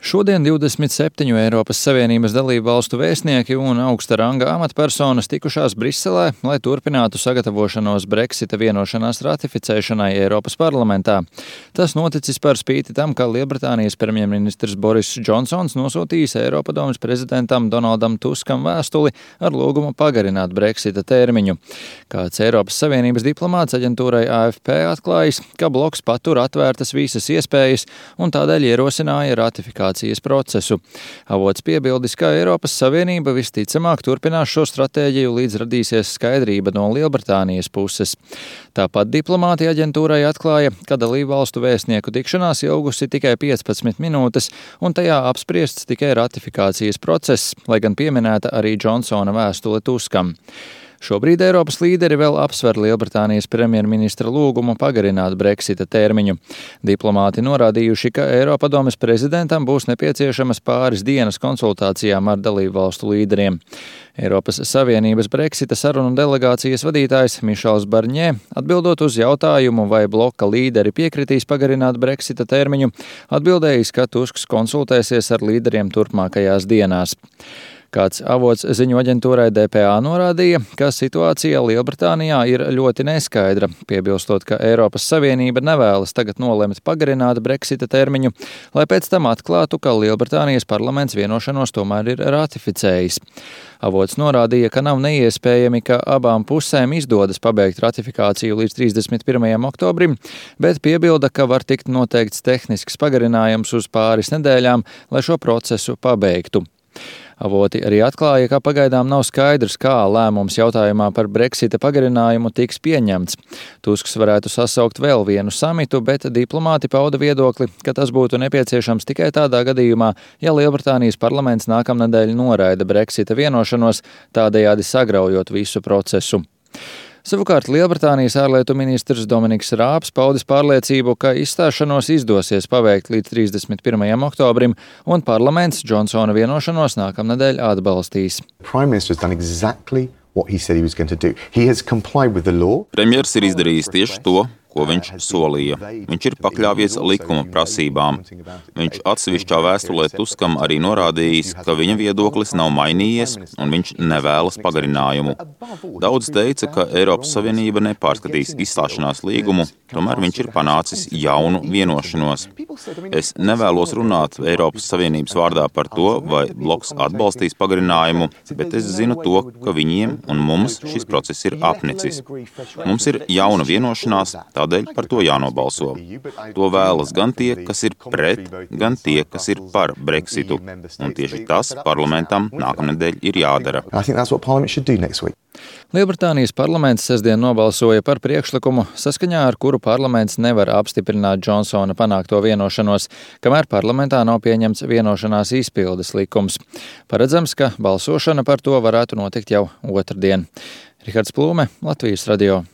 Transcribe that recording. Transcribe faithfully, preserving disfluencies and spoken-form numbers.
Šodien divdesmit septiņu Eiropas Savienības dalību valstu vēstnieki un augsta ranga amatpersonas tikušās Briselē, lai turpinātu sagatavošanos Brexita vienošanās ratificēšanai Eiropas parlamentā. Tas noticis par spīti tam, ka Lielbritānijas premjerministrs Boris Džonsons nosūtījis Eiropadomes prezidentam Donaldam Tuskam vēstuli ar lūgumu pagarināt Brexita termiņu. Kāds Eiropas Savienības diplomāts aģentūrai A F P atklājis, ka bloks patur atvērtas visas iespējas un tādēļ ierosināja ratifikāciju procesu. Avots piebildis, ka Eiropas Savienība visticamāk turpinās šo stratēģiju, līdz radīsies skaidrība no Lielbritānijas puses. Tāpat diplomāti aģentūrai atklāja, ka dalību valstu vēstnieku tikšanās ilgusi tikai piecpadsmit minūtes, un tajā apspriests tikai ratifikācijas process, lai gan pieminēta arī Džonsona vēstule Tuskam. Šobrīd Eiropas līderi vēl apsver Lielbritānijas premjerministra lūgumu pagarināt Brexita termiņu. Diplomāti norādījuši, ka Eiropadomes prezidentam būs nepieciešamas pāris dienas konsultācijām ar dalību valstu līderiem. Eiropas Savienības Brexita sarunu delegācijas vadītājs Mišels Barņē, atbildot uz jautājumu, vai bloka līderi piekritīs pagarināt Brexita termiņu, atbildējis, ka Tusks konsultēsies ar līderiem turpmākajās dienās. Kāds avots ziņu aģentūrai D P A norādīja, ka situācija Lielbritānijā ir ļoti neskaidra, piebilstot, ka Eiropas Savienība nevēlas tagad nolemt pagarināt Brexita termiņu, lai pēc tam atklātu, ka Lielbritānijas parlaments vienošanos tomēr ir ratificējis. Avots norādīja, ka nav neiespējami, ka abām pusēm izdodas pabeigt ratifikāciju līdz trīsdesmit pirmajam oktobrim, bet piebilda, ka var tikt noteikts tehnisks pagarinājums uz pāris nedēļām, lai šo procesu pabeigtu. Avoti arī atklāja, ka pagaidām nav skaidrs, kā lēmums jautājumā par Brexita pagarinājumu tiks pieņemts. Tusks varētu sasaukt vēl vienu samitu, bet diplomāti pauda viedokli, ka tas būtu nepieciešams tikai tādā gadījumā, ja Lielbritānijas parlaments nākamnedēļ noraida Brexita vienošanos, tādējādi sagraujot visu procesu. Savukārt Lielbritānijas ārlietu ministrs Dominiks Rābs paudis pārliecību, ka izstāšanos izdosies paveikt līdz trīsdesmit pirmajam oktobrim, un parlaments Džonsona vienošanos nākamnedēļ atbalstīs. Premjers ir izdarījis tieši to, ko viņš solīja. Viņš ir pakļāvies likuma prasībām. Viņš atsevišķā vēstulē Tuskam arī norādījis, ka viņa viedoklis nav mainījies un viņš nevēlas pagarinājumu. Daudz teica, ka Eiropas Savienība nepārskatīs izstāšanās līgumu, tomēr viņš ir panācis jaunu vienošanos. Es nevēlos runāt Eiropas Savienības vārdā par to, vai bloks atbalstīs pagarinājumu, bet es zinu to, ka viņiem un mums šis process ir apnicis. Mums ir jauna vienošanās, tādēļ par to jānobalso. To vēlas gan tie, kas ir pret, gan tie, kas ir par Brexitu. Un tieši tas parlamentam nākamnedēļ ir jādara. Lielbritānijas parlaments sestdien nobalsoja par priekšlikumu, saskaņā ar kuru parlaments nevar apstiprināt Džonsona panākto vienošanos, kamēr parlamentā nav pieņemts vienošanās izpildes likums. Paredzams, ka balsošana par to varētu notikt jau otrdien. Rihards Plūme, Latvijas radio.